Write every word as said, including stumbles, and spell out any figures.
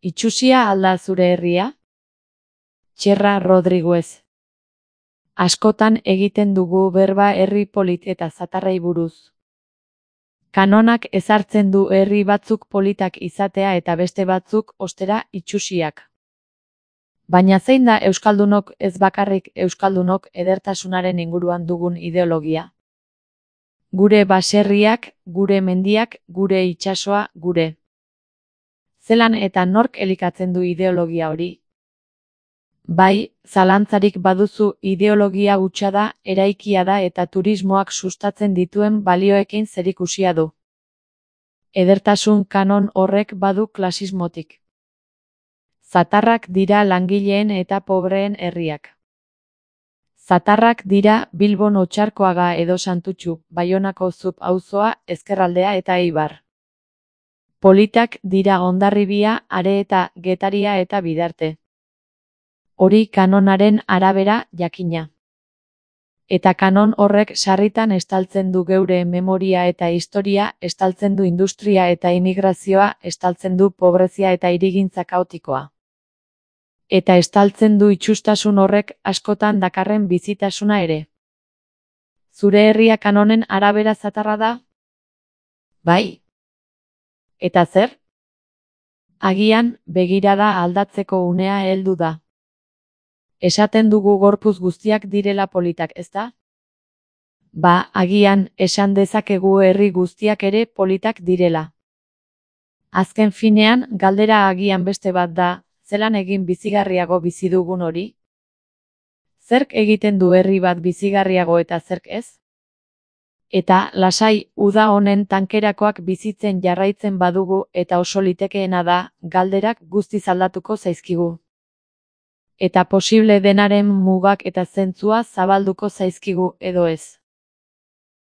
Itxusia alda zure herria? Txerra Rodriguez. Askotan egiten dugu berba herri polit eta zatarrei buruz. Kanonak ezartzen du herri batzuk politak izatea eta beste batzuk, ostera, itxusiak. Baina zein da euskaldunok ez bakarrik euskaldunok edertasunaren inguruan dugun ideologia? Gure baserriak, gure mendiak, gure itsasoa, gure. Zelan eta nork elikatzen du ideologia hori? Bai, zalantzarik baduzu ideologia hutsa da, eraikia da eta turismoak sustatzen dituen balioekin zerikusia du. Edertasun kanon horrek badu klasismotik. Zatarrak dira langileen eta pobreen herriak. Zatarrak dira Bilbon Otxarkoaga edo Santutxu, Baionako Zup auzoa, Ezkerraldea eta Eibar. Politak dira Hondarribia, Are eta Getaria eta Bidarte. Hori kanonaren arabera, jakina. Eta kanon horrek sarritan estaltzen du geure memoria eta historia, estaltzen du industria eta immigrazioa, estaltzen du pobrezia eta hirigintza kaotikoa. Eta estaltzen du itxustasun horrek askotan dakarren bizitasuna ere. Zure herria kanonen arabera zatarra da? Bai. Eta zer? Agian, begirada aldatzeko unea heldu da. Esaten dugu gorpuz guztiak direla politak, ezta? Ba, agian, esan dezakegu herri guztiak ere politak direla. Azken finean, galdera agian beste bat da, zelan egin bizigarriago bizi dugun hori? Zerk egiten du herri bat bizigarriago eta zerk ez? Eta, lasai, uda honen tankerakoak bizitzen jarraitzen badugu eta oso litekeena da, galderak guztiz aldatuko zaizkigu. Eta posible denaren mugak eta zentzua zabalduko zaizkigu edo ez.